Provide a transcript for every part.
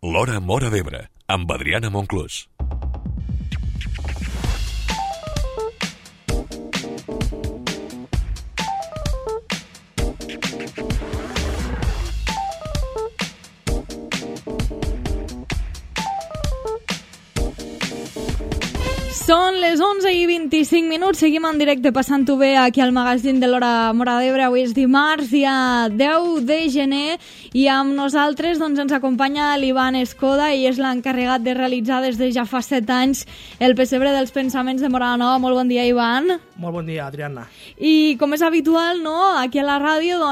L'Hora Móra d'Ebre, amb Adriana Monclús. Són les 11:25, seguim en directe passant-ho bé aquí al magazín de l'Hora Móra d'Ebre. Avui és dimarts, dia 10 de gener, i amb nosaltres ens acompanya l'Ivan Escoda, i és l'encarregat de realitzar des de ja fa 7 anys el pessebre dels pensaments de Móra la Nova. Molt bon dia, Ivan. Molt bon dia, Adriana. I com és habitual, no, aquí a la ràdio,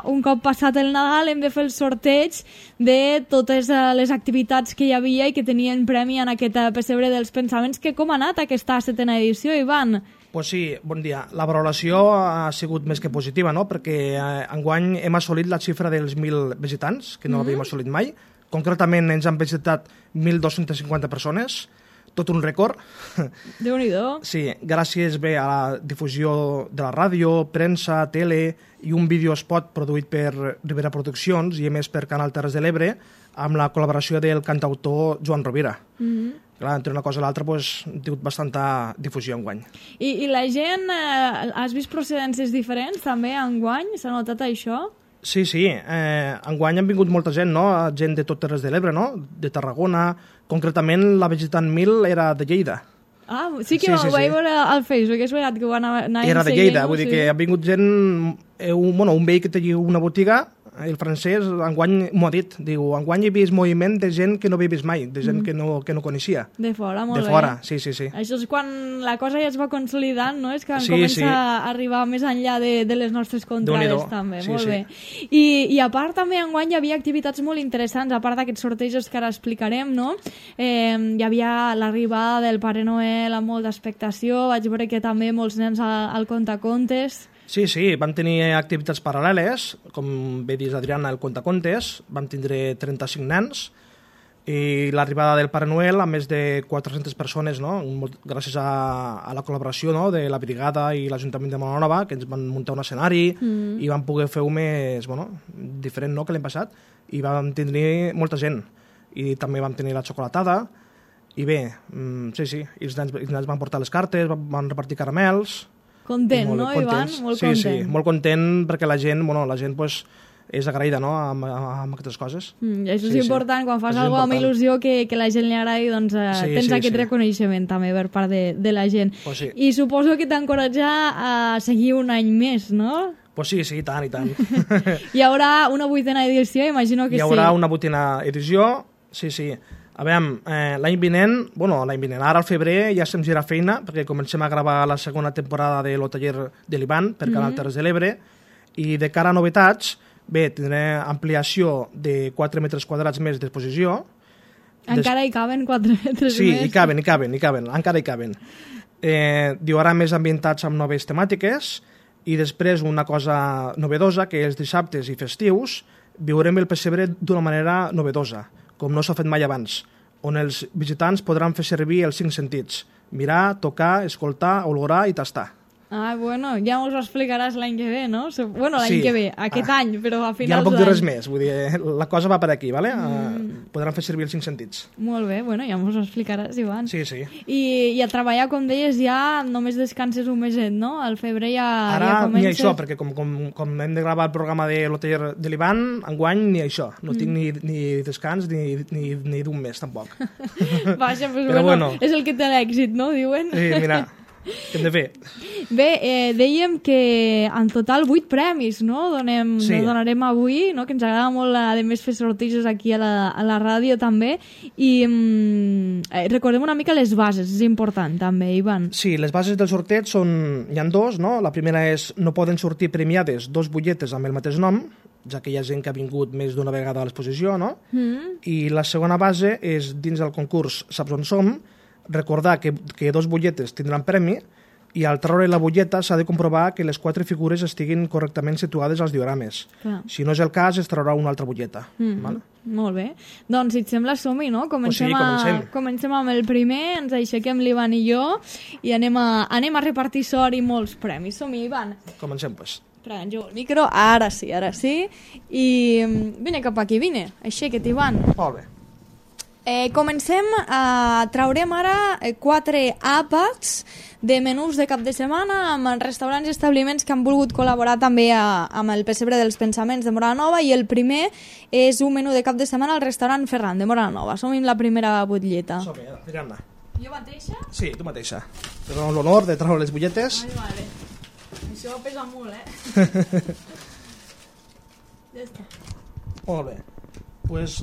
un cop passat el Nadal hem de fer el sorteig de totes les activitats que hi havia i que tenien premi en aquest pessebre dels pensaments. Com ha anat aquesta 7ª edició, Ivan? Pues sí, bon dia. La valoració ha sigut més que positiva, no? Perquè enguany hem assolit la xifra dels 1.000 visitants, que no l'havíem assolit mai. Concretament ens han visitat 1.250 persones, tot un rècord. Déu-n'hi-do. Sí, gràcies bé a la difusió de la ràdio, premsa, tele i un videospot produït per Ribera Produccions i a més per Canal Terres de l'Ebre amb la col·laboració del cantautor Joan Rovira. Clar, entre una cosa i l'altra hem tingut bastanta difusió enguany. I la gent, has vist procedències diferents també enguany? S'ha notat això? Sí, enguany han vingut molta gent, no? Gent de tot Terres de l'Ebre, no? De Tarragona. Concretament, la visitant 1000 era de Lleida. Ah, sí que ho vaig veure al Facebook, és veritat que ho van anar era de Lleida, vull dir que ha vingut gent, un veí que tenia una botiga, el francès, enguany m'ho ha dit, diu, enguany he vist moviment de gent que no havia vist mai, de gent que no coneixia. De fora, molt bé. De fora, sí. Això és quan la cosa ja es va consolidant, no? És que comença a arribar més enllà de les nostres contrades, també. Molt bé. I a part, també, enguany hi havia activitats molt interessants, a part d'aquests sortejos que ara explicarem, no? Hi havia l'arribada del Pare Noel amb molta expectació, vaig veure que també molts nens al contacontes. Sí, vam tenir activitats paral·leles, com bé dius, Adriana, el contacontes, vam tindre 35 nens, i l'arribada del Pare Noel amb més de 400 persones, no? Gràcies a la col·laboració, no? De la brigada i l'Ajuntament de Móra la Nova, que ens van muntar un escenari i vam poder fer-ho més diferent, no?, que l'hem passat, i vam tindre molta gent, i també vam tenir la xocolatada, i bé, sí, i els nens van portar les cartes, van repartir caramels. Content, no, Ivan? Molt content. Sí, molt content perquè la gent és agraïda, no?, amb aquestes coses. Això és important, quan fas alguna cosa amb il·lusió que la gent li agradi, doncs tens aquest reconeixement també per part de la gent. I suposo que t'encoratja a seguir un any més, no? Pues sí, i tant. Hi haurà una 8ª edició, imagino que sí. Hi haurà una 8ª edició, sí. A veure, l'any vinent, ara al febrer ja estem girant feina perquè comencem a gravar la segona temporada de Lo Taller de l'Ivan per Canal Terres de l'Ebre, i de cara a novetats, bé, tindrem ampliació de 4 metres quadrats més d'exposició. Encara hi caben 4 metres més? Sí, hi caben, encara hi caben. Hi haurà més ambientats amb noves temàtiques, i després una cosa novedosa, que els dissabtes i festius viurem el pessebre d'una manera novedosa, com no s'ha fet mai abans, on els visitants podran fer servir els 5 sentits: mirar, tocar, escoltar, olorar i tastar. Ah, bueno, ja us ho explicaràs l'any que ve, no? Bueno, l'any que ve, aquest any, però a finals d'any. Ja no puc dir res més, vull dir, la cosa va per aquí, ¿vale? Podran fer servir els 5 sentits. Molt bé, bueno, ja us ho explicaràs, Ivan. Sí. I a treballar, com deies, ja només descanses un meset, no? Al febrer ja ara comences... ni això, perquè com hem de gravar el programa de Lo Taller de l'Ivan, enguany ni això. No tinc ni descans ni d'un mes, tampoc. Vaja, doncs bueno, és el que té l'èxit, no? Diuen. Sí, mira... Què hem de fer? Bé, dèiem que en total 8 premis, no? Donarem avui, no? Que ens agrada molt, a més, fer sortejos aquí a la ràdio també, i recordem una mica les bases, és important també, Ivan. Sí, les bases del sorteig hi ha 2, no? La primera és: no poden sortir premiades 2 butlletes amb el mateix nom, ja que hi ha gent que ha vingut més d'una vegada a l'exposició, no? I la segona base és, dins del concurs Saps on som, recordar que 2 butlletes tindran premi, i al treure la butlleta s'ha de comprovar que les 4 figures estiguin correctament situades als diorames. Si no és el cas, es traurà una altra butlleta. Molt bé. Doncs, si et sembla, som-hi, no? Comencem amb el primer, ens aixequem l'Ivan i jo, i anem a repartir sort i molts premis. Som-hi, Ivan. Comencem, doncs. Prenc jo el micro, ara sí. I vine cap aquí, vine. Aixeca't, Ivan. Molt bé. Comencem, traurem ara 4 àpats de menús de cap de setmana amb restaurants i establiments que han volgut col·laborar també amb el Pessebre dels Pensaments de Móra la Nova, i el primer és un menú de cap de setmana al restaurant Ferran de Móra la Nova. Som en la primera butlleta. Som-hi, Adriana. Jo mateixa? Sí, tu mateixa. Tenim l'honor de treure les butlletes. Ai, vale. Això pesa molt, Ja està. Molt bé. Pues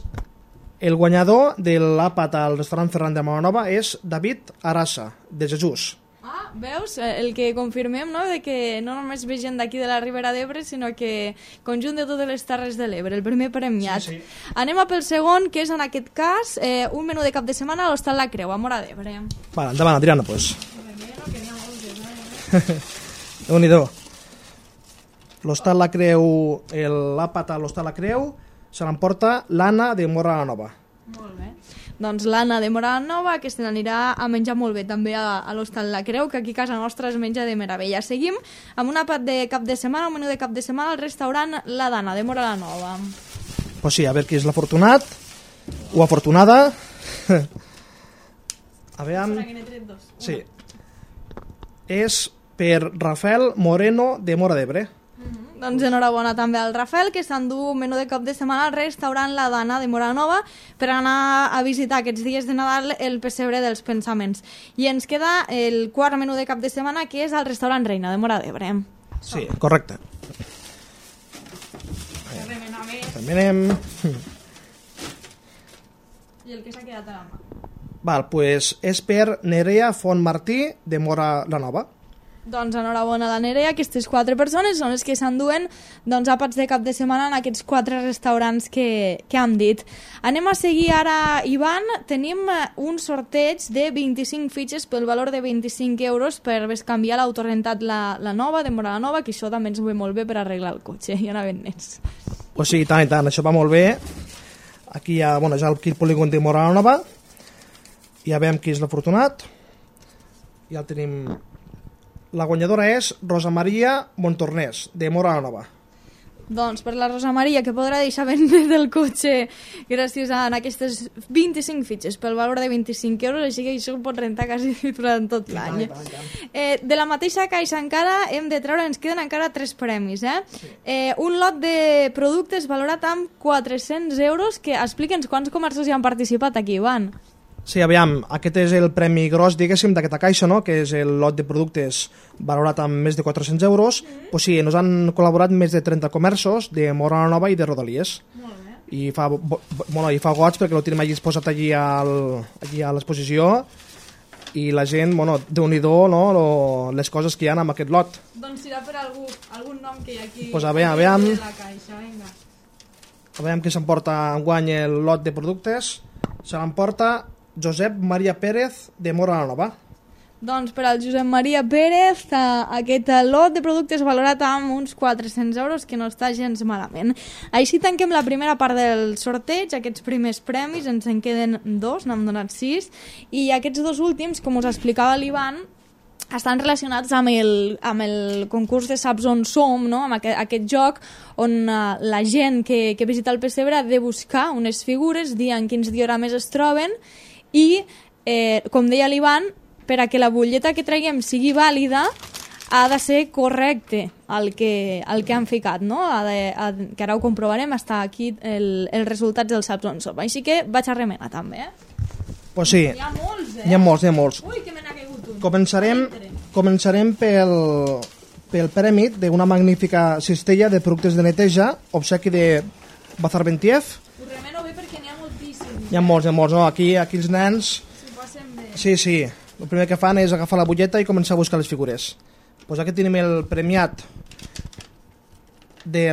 el guanyador de l'àpat al restaurant Ferran de Móra la Nova és David Arassa, de Jesús. Veus? El que confirmem, no?, de que no només ve gent d'aquí de la Ribera d'Ebre, sinó que conjunt de totes les Terres de l'Ebre, el primer premiat. Sí. Anem a pel segon, que és en aquest cas un menú de cap de setmana a l'Hostal La Creu, a Móra d'Ebre. Vale, endavant, Adriana, pues. Déu-n'hi-do. L'Hostal La Creu, l'àpat a l'Hostal La Creu, se l'emporta l'Anna de Móra la Nova. Molt bé. Doncs l'Anna de Móra la Nova, que se n'anirà a menjar molt bé també a l'Hostal La Creu, que aquí a casa nostra es menja de meravella. Seguim amb un àpat de cap de setmana, un menú de cap de setmana al restaurant La Dana de Móra la Nova. Pues sí, a veure qui és l'afortunat o afortunada. A veure... Sí. És per Rafael Moreno de Móra d'Ebre. Doncs enhorabona també al Rafael, que s'endú un menú de cap de setmana al restaurant La Dana de Móra la Nova per anar a visitar aquests dies de Nadal el Pessebre dels Pensaments. I ens queda el quart menú de cap de setmana, que és al restaurant Reina de Móra d'Ebre. Sí, correcte. Remenem. I el que s'ha quedat a la mà? Val, pues és per Nerea Fontmartí de Móra la Nova. Doncs enhorabona a la Nerea, aquestes 4 persones són les que s'enduen àpats de cap de setmana en aquests 4 restaurants que hem dit. Anem a seguir ara, Ivan. Tenim un sorteig de 25 fitxes pel valor de 25 euros per bescanviar l'autorentat la Nova de Móra la Nova, que això també ens ve molt bé per arreglar el cotxe, ja anaven nets. Pues sí, tant i tant, això va molt bé. Aquí hi ha, ja el polígon de Móra la Nova. Ja veiem qui és l'afortunat. Ja el tenim... La guanyadora és Rosa Maria Montornès, de Móra la Nova. Doncs per la Rosa Maria, que podrà deixar ben bé del cotxe gràcies a aquestes 25 fitxes pel valor de 25 euros, així que això ho pot rentar quasi durant tot l'any. De la mateixa caixa encara hem de treure, ens queden encara 3 premis. Sí. Un lot de productes valorat amb 400 euros, que explica'ns quants comerços hi han participat aquí, Ivan. Sí, aviam, aquest és el premi gros, diguéssim, d'aquesta caixa, no?, que és el lot de productes valorat amb més de 400 euros. Pues sí, ens han col·laborat més de 30 comerços de Móra la Nova i de Rodalies. Molt bé. I fa goig perquè ho tenim allí exposat allí a l'exposició, i la gent, déu-n'hi-do, no?, les coses que hi ha amb aquest lot. Doncs serà per algun nom que hi ha aquí. Pues aviam. La caixa, vinga. Aviam qui s'emporta enguany el lot de productes. Se l'emporta Josep Maria Pérez de Móra la Nova. Doncs per al Josep Maria Pérez aquest lot de productes valorat amb uns 400 euros, que no està gens malament. Així tanquem la primera part del sorteig, aquests primers premis, ens en queden 2, n'hem donat 6, i aquests 2 últims, com us explicava l'Ivan, estan relacionats amb el concurs de Saps on som, no?, amb aquest joc on la gent que visita el Pessebre ha de buscar unes figures, dir en quins diorames es troben, i, com deia l'Ivan, per a que la butlleta que traguem sigui vàlida, ha de ser correcte el que han ficat, no? Que ara ho comprovarem, està aquí els resultats del Saps on som. Així que vaig a remenar també, Pues sí. Hi ha molts, Hi ha molts. Ui, que me n'ha caigut un. Començarem pel premi d'una magnífica cistella de productes de neteja, obsequi de Bazar Bentiev. Ho remeno bé perquè n'hi ha moltíssims. Hi ha molts, no? Aquí els nens... S'ho passen bé. Sí. El primer que fan és agafar la butlleta i començar a buscar les figures. Pues aquí tenim el premiat de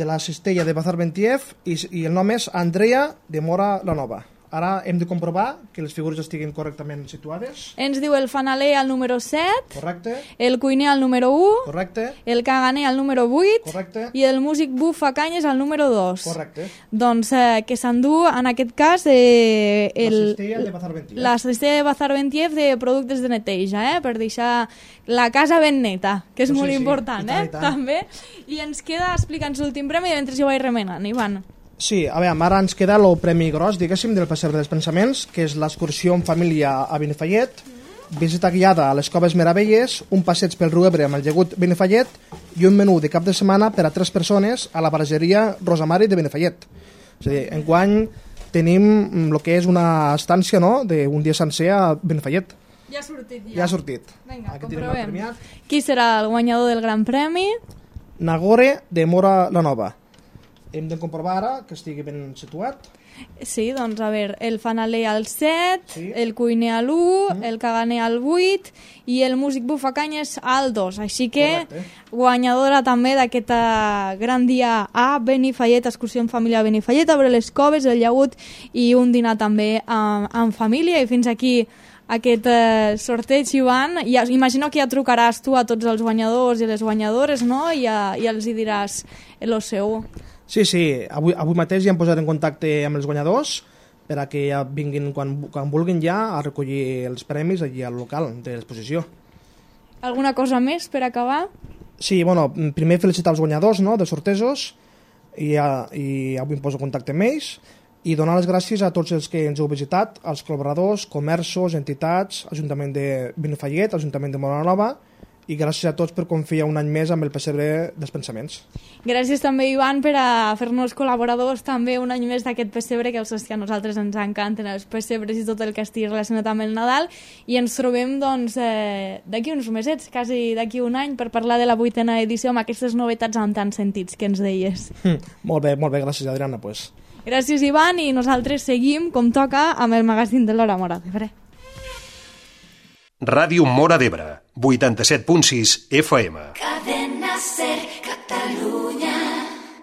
la cistella de Bazar Bentiev i el nom és Andrea de Móra la Nova. Ara hem de comprovar que les figures estiguin correctament situades. Ens diu el fanaler al número 7, Correcte. el cuiner al número 1, Correcte. el caganer al número 8 Correcte. i el músic bufa canyes al número 2. Correcte. Doncs que s'endú en aquest cas La cistella de Bazar Bentiev. La cistella de Bazar Bentiev de productes de neteja, per deixar la casa ben neta, que és molt important, I tant. també. I ens queda, explica'ns l'últim premi, mentre jo vaig remenant, Ivan. Sí, a veure, ara ens queda el premi gros, diguéssim, del Pessebre dels Pensaments, que és l'excursió en família a Benifallet, visita guiada a les Coves Meravelles, un passeig pel riu Ebre amb el llagut Benifallet i un menú de cap de setmana per a 3 persones a la barregeria Rosamari de Benifallet. És a dir, enguany tenim el que és una estància, no?, d'un dia sencer a Benifallet. Ja ha sortit, ja. Ja ha sortit. Vinga, comprovem. Qui serà el guanyador del Gran Premi? Nagore de Mora la Nova. Hem de comprovar ara que estigui ben situat. Sí, doncs a veure, el fanaler al 7, sí. El cuiner a l'1, el caganer al 8 i el músic bufacanyes al 2. Així que correcte. Guanyadora també d'aquest gran dia a Benifallet, excursió en família a Benifallet, a veure les coves, el llagut i un dinar també en família. I fins aquí aquest sorteig, Ivan. Imagino que ja trucaràs tu a tots els guanyadors i les guanyadores, no? I els hi diràs el seu. Sí, avui mateix ja hem posat en contacte amb els guanyadors per a que ja vinguin quan vulguin ja a recollir els premis allí al local de l'exposició. Alguna cosa més per acabar? Sí, bueno, primer felicitar els guanyadors, no?, dels sortejos i avui em poso en contacte amb ells i donar les gràcies a tots els que ens heu visitat, als col·laboradors, comerços, entitats, Ajuntament de Benifallet, Ajuntament de Mora la Nova, i gràcies a tots per confiar un any més amb el Pessebre dels Pensaments. Gràcies també, Ivan, per a fer-nos col·laboradors també un any més d'aquest pessebre, que els que a nosaltres ens encanten els pessebres i tot el que estigui relacionat amb el Nadal, i ens trobem doncs d'aquí uns mesets, quasi d'aquí un any, per parlar de la 8a edició amb aquestes novetats amb tants sentits que ens deies. Molt bé, gràcies, Adriana. Pues. Gràcies, Ivan, i nosaltres seguim, com toca, amb el magazín de l'Hora Mora d'Ebre. Ràdio Mora d'Ebre, 87.6 FM.